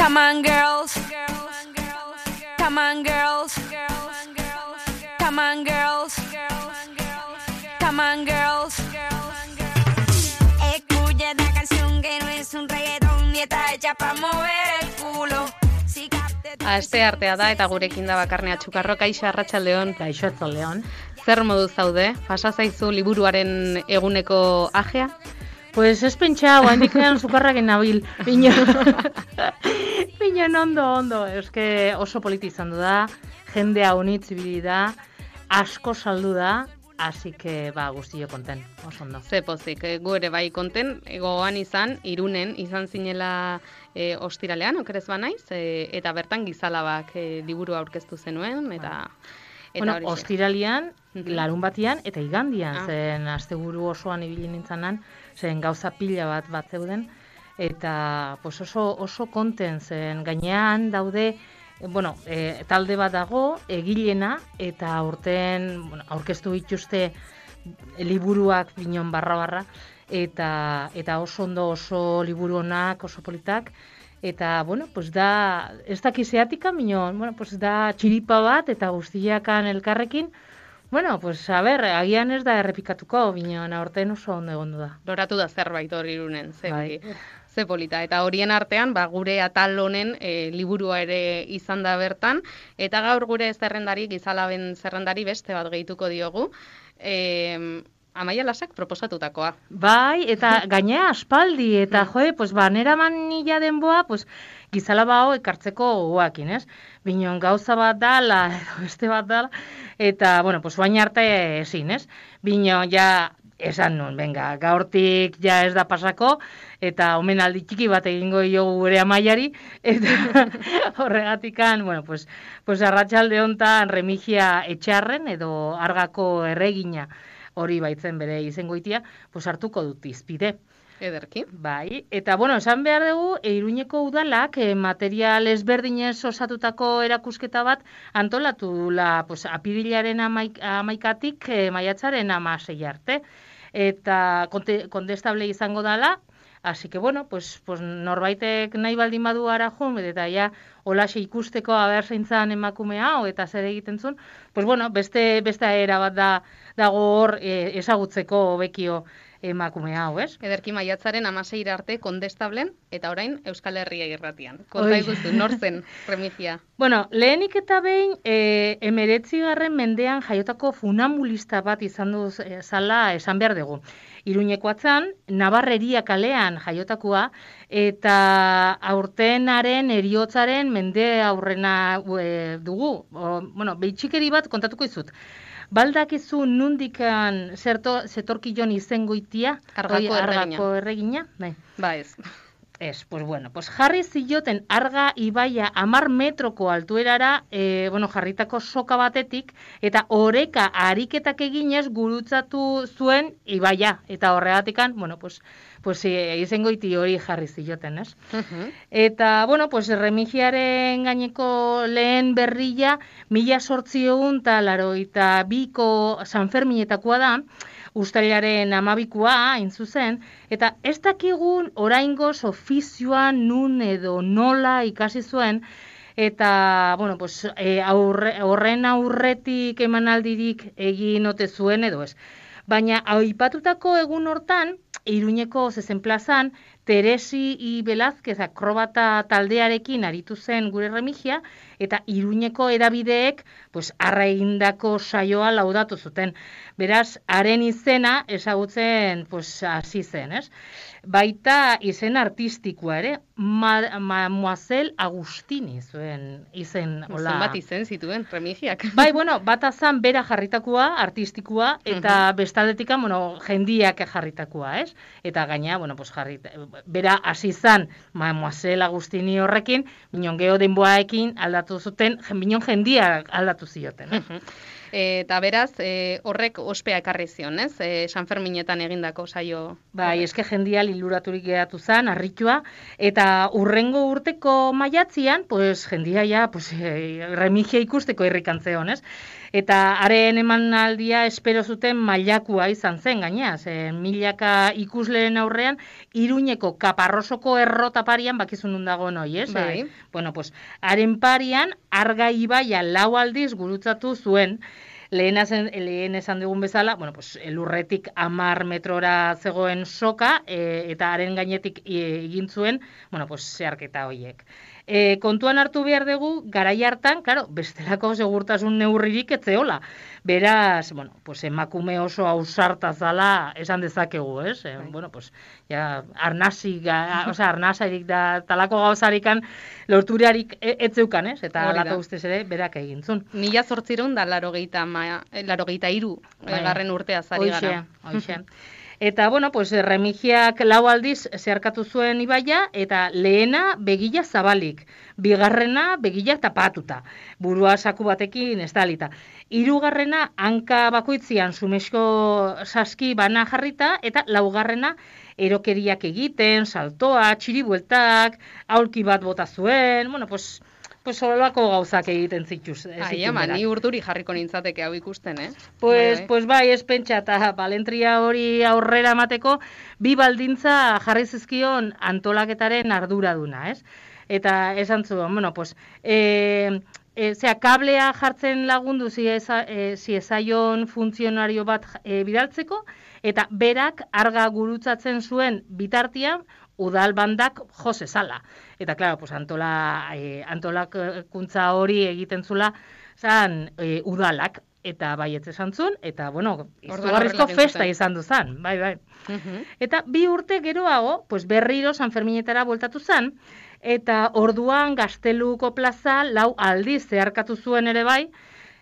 Come on, girls. Come on, girls. Come on, girls. Come on, girls. Escucha esta canción que no es un reggaetón y está hecha para mover el culo. Aste artea da eta gurekin da Bakarne Atxukarro. Kaixo, arratsaldeon. Kaixo, arratsaldeon. Zer modu zaude? Pasa zaizu liburuaren eguneko ajea? Pues ez pentsa, oandikean sukarraken nabil. Pinon ondo. Eske oso politi izan du da, jendea honitz ibili da, asko saldu da, así que guztio konten, oso ondo. Ze pozik, gu ere bai konten, gogoan izan, Irunen izan zinela ostiralean, okerez banaiz, eta bertan Gizalabak liburu aurkeztu zenuen, eta bueno, ostiralean, larun batian, eta igandian, zen asteburu osoan ibili nintzanan, zen gauza pila bat zeuden, eta pues oso konten zen, gainean daude, bueno, talde bat dago, egilena, eta aurten aurkeztu dituzte liburuak binon barra, eta oso ondo, oso liburu onak, oso politak, eta, bueno, pues da, ez dakizeatika, binon, bueno, pues da txiripa bat, eta guztiakan elkarrekin, bueno, pues, a ber, agian ez da errepikatuko, binon, aurten oso ondo egondu da. Loratu da zerbait hori Irunen, ze polita. Eta horien artean, gure atal honen liburua ere izan da bertan, eta gaur gure zerrendari, Gizalaben zerrendari beste bat gehituko diogu, Amaia Lasak proposatutakoa. Bai, eta gainea aspaldi, eta pues nera manila denboa, pues, Gizalaba hau ekartzeko gogoakin, ez? Binon gauza bat dala, edo beste bat dala, eta, bueno, pues, baina arte ezin, ez? Binon, ja, esan nun, venga, gaurtik ja ez da pasako, eta omenaldi txiki bat egingo diogu gure Amaiari, eta horregatikan, bueno, pues arratsalde hontan Remigia Etxarren, edo Argako erregina, hori baitzen bere izengoitia, pues hartuko dut izpide. Ederki. Bai, eta bueno, esan behar dugu, Iruñeko udalak material ezberdinez osatutako erakusketa bat antolatula, pues, apirilaren 11tik maiatzaren 16 arte. Eta kontestable izango dala, así que bueno, pues norbaitek nahi baldin badu ara joan, eta ja holaxe ikusteko aber zeintzan emakumea eta zer egiten zuen, pues bueno, beste era bat dago hor ezagutzeko bekio emakume hau, ez? Ederki maiatzaren 16 arte kondestablen, eta orain Euskal Herria irratian. Konta iguzu, nor zen, Remigia? Bueno, lehenik eta behin, 19. mendean jaiotako funambulista bat izan du zala esan behar dugu. Iruñekoatzan, Nabarreria kalean jaiotakoa, eta aurtenaren eriotzaren mende aurrena dugu. Bueno, behitxikeri bat kontatuko izut. Baldakizu nundikan zetorkillon izengoitia? Argako erregina? Ba ez. Ez, pues bueno, pues jarri zioten Arga ibaia 10 metroko altuerara, jarritako soka batetik, eta oreka ariketak eginez gurutzatu zuen ibaia, eta horregatikan, bueno, pues izengoiti hori jarri zioten, ez? Eta, bueno, pues Remigiaren gaineko lehen berria 1882ko Sanferminetakoa da, Uztailaren 12koa, hain zuzen, eta ez dakigun oraingoz ofizioan nun edo nola ikasi zuen, eta, bueno, pues, horren aurretik emanaldirik egin ote zuen edo ez. Baina, aipatutako egun hortan, Iruñeko zezen plazan, Teresi I. Velázquez akrobata taldearekin aritu zen gure Remigia, eta Iruñeko edabideek arra egindako saioa laudatu zuten. Beraz, haren izena ezagutzen hasi zen, ez? Baita izen artistikoa ere, Mademoiselle Agustini zuen izen. Zenbat izen zituen, Remigiak. Bai, bueno, bat azan bera jarritakoa, artistikoa, eta bestaldetikan, jendiak jarritakoa, ez? Eta gaina, bera hasi izan Mademoiselle Agustini horrekin, binon geho denboaekin aldatu zuten, binon jendiak aldatu zioten. Eta beraz, horrek ospea ekarri zion, ez? San Ferminetan egindako saio. Bai, eske jendia liluraturik geratu zen, harritua, eta urrengo urteko maiatzian, pues jendia ja, pues Remigia ikusteko irrikantzeon, ez? Eta haren emanaldia espero zuten mailakua izan zen, gainea, milaka ikusleen aurrean, Iruñeko Kaparrosoko errotaparian bakizun nun dago noi, ez? Bai. Bueno, pues, haren parian, Arga ibaia 4 aldiz gurutzatu zuen, lehen esan dugun bezala, bueno, pues, lurretik 10 metrora zegoen soka, eta haren gainetik egin zuen, bueno, pues, zeharketa horiek. Kontuan hartu behar dugu, garai hartan, claro, bestelako segurtasun neurririk etzeola. Beraz, bueno, pues emakume oso ausarta zala esan dezakegu, ez? Bueno, pues ja arnasarik da talako gauzarikan lorturarik etzeukan, ez? Eta halako ustez ere berak egintzun. 1883 garren urtea zari gara. Hoxe. Eta, bueno, pues, Remigiak 4 aldiz zeharkatu zuen ibaia, eta lehena begila zabalik, bigarrena begila tapatuta, burua saku batekin estalita. Hirugarrena hanka bakoitzian sumesko saski bana jarrita, eta 4. erokeriak egiten, saltoa, txiribueltak, aulki bat bota zuen, bueno, pues solako gauzak egiten zituz. Ni urduri jarriko nintzateke hau ikusten, Pues bai, ez pentsa, eta balentria hori aurrera emateko, 2 baldintza jarri zizkion antolaketaren arduraduna, ez? Eta esan zuen, bueno, pues, kablea jartzen lagundu ziezaion funtzionario bat bidaltzeko, eta berak arga gurutzatzen zuen bitartian, udal bandak jo zezala. Eta, klaro, pues, antolakuntza hori egiten zula zan udalak, eta baietz esan zuen, eta, bueno, izugarrizko festa izan du zan, bai. Eta 2 urte geroago, pues, berriro San Ferminetara bueltatu zan, eta orduan Gazteluko plaza 4 aldiz zeharkatu zuen ere bai,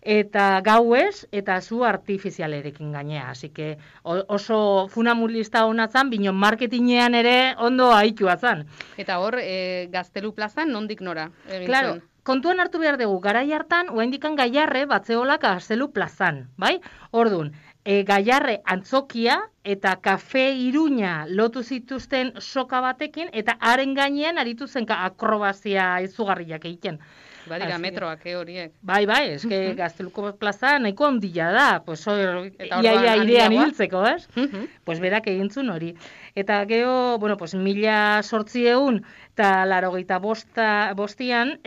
eta gauez, eta zu artifizialerekin gainea. Así que oso funamulista hona zan, bino marketinean ere ondo aitua zan. Eta hor, Gaztelu plazan nondik nora egin Claro, zuen? kontuan hartu behar dugu, garai hartan, oraindikan Gaiarre batzeolak Gaztelu plazan, bai? Ordun, Gaiarre antzokia eta kafe Iruña lotu zituzten soka batekin, eta haren gainean aritu zen akrobazia izugarriak egiten. Badira metroak horiek. Bai, eske Gazteluko plaza nahiko handia da, pues ia irean hiltzeko, ez? Pues berak egintzun hori. Eta gero, bueno, pues 1885 eta 85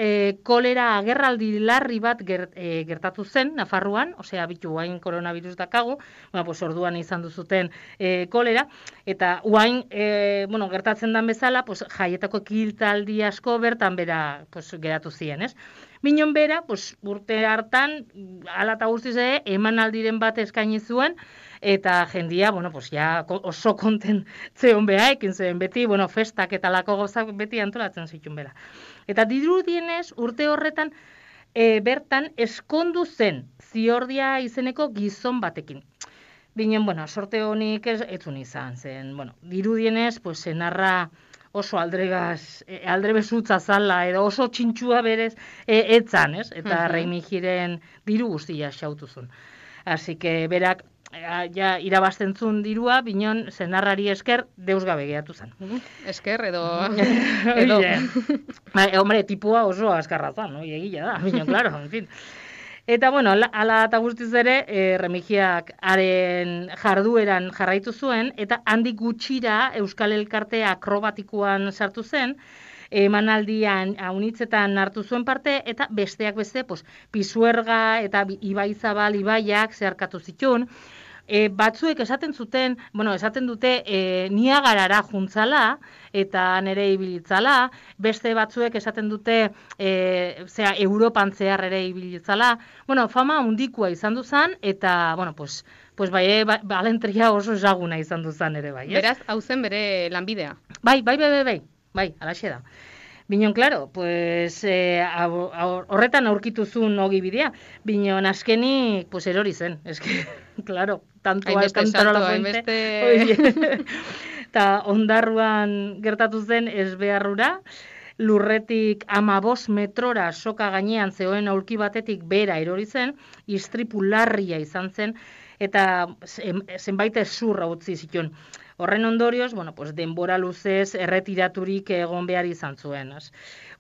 kolera agerraldi larri bat gertatu zen Nafarroan, osea bitu guain koronavirus dakago, bueno, pues orduan izan duzuten kolera, eta guain, bueno, gertatzen dan bezala, pues jaietako ekiltaldi asko bertan bera, pues geratu ziren, ez? Minon bera, pues, urte hartan, ala eta guztiz ere, emanaldiren bat eskaini zuen, eta jendia, bueno, pues, ja, oso konten zeon beha, ekin zen beti, bueno, festak eta lako gauzak beti antolatzen zituen bera. Eta dirudienez, urte horretan, bertan, eskondu zen, Ziordia izeneko gizon batekin. Binen, bueno, sorte honik etzun izan zen, bueno, dirudienez, pues, senarra oso aldrebezutza zala, edo oso txintxua berez etzan, ez? Eta Remigiren diru guztia xautuzun. Así que berak ja irabazten zuen dirua, binon senarrari esker deus gabe geratu zen. Esker edo... Hombre, tipua oso askarra zan, no? Egia da, binon, claro, en fin. Eta, bueno, ala eta guztiz ere, Remigiak haren jardueran jarraitu zuen, eta handik gutxira Euskal Elkarte akrobatikoan sartu zen, emanaldian haunitzetan hartu zuen parte, eta besteak beste, pues, Pisuerga eta Ibaizabal ibaiak zeharkatu zituen, batzuek esaten dute Niagarara juntzala eta nere ibilitzala, beste batzuek esaten dute Europan zehar ere ibilitzala. Bueno, fama handikoa izan du zan, eta, bueno, pues balentria oso ezaguna izan du zan ere bai. Beraz, hau zen bere lanbidea. Bai, alaxe da. Binon, claro, pues horretan aurkituzun ogi bidea, binon azkenik, pues erori zen, eske, claro, tantoa la fuente. Eta ondarruan gertatu zen ezbeharrura, lurretik 15 metrora soka gainean zegoen aulki batetik bera erori zen, istripu larria izan zen, eta zenbait ezurra utzi zituen. Horren ondorioz, pues denbora luzez erretiraturik egon behar izan zuen.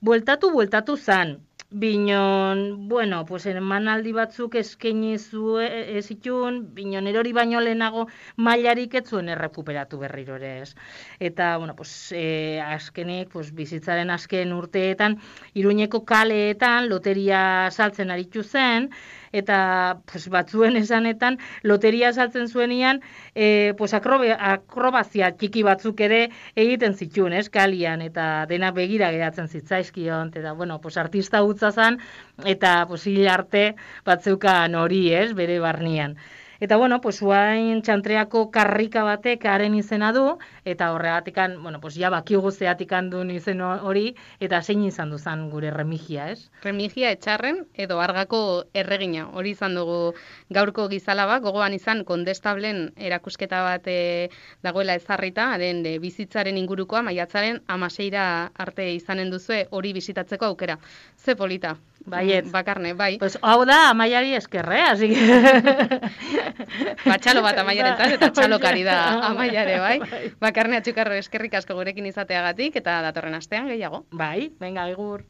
Bueltatu zan, binon, pues emanaldi batzuk eskaini zituen, binon erori baino lehenago mailarik ez zuen errekuperatu berriro ere ez. Eta, azkenik, bizitzaren azken urteetan, Iruñeko kaleetan loteria saltzen aritu zen, eta batzuen esanetan loteria saltzen zuenian akrobazia txiki batzuk ere egiten zituen, kalian, eta dena begira geratzen zitzaizkion, eta artista hutsa zan, eta hil arte batzeukan hori, bere barnean. Eta uain txantreako karrika batek haren izena du, eta horregatikan, ja bakigu zeatikan duen izen hori, eta zein izan duzan gure Remigia, Remigia Etxarren edo Argako erregina, hori izan dugu gaurko gizalaba, gogoan izan kondestablen erakusketa bat dagoela ezarrita, haren bizitzaren ingurukoa, maiatzaren 16 arte izanen duzue hori bisitatzeko aukera. Ze polita. Baiet. Bakarne, bai. Hau da Amaiari eskerre, así que... Txalo bat Amaiarentzat eta txalokari da Amaiare, bai. Bakarne Atxukarro eskerrik asko gurekin izateagatik eta datorren astean gehiago. Bai, venga, egur.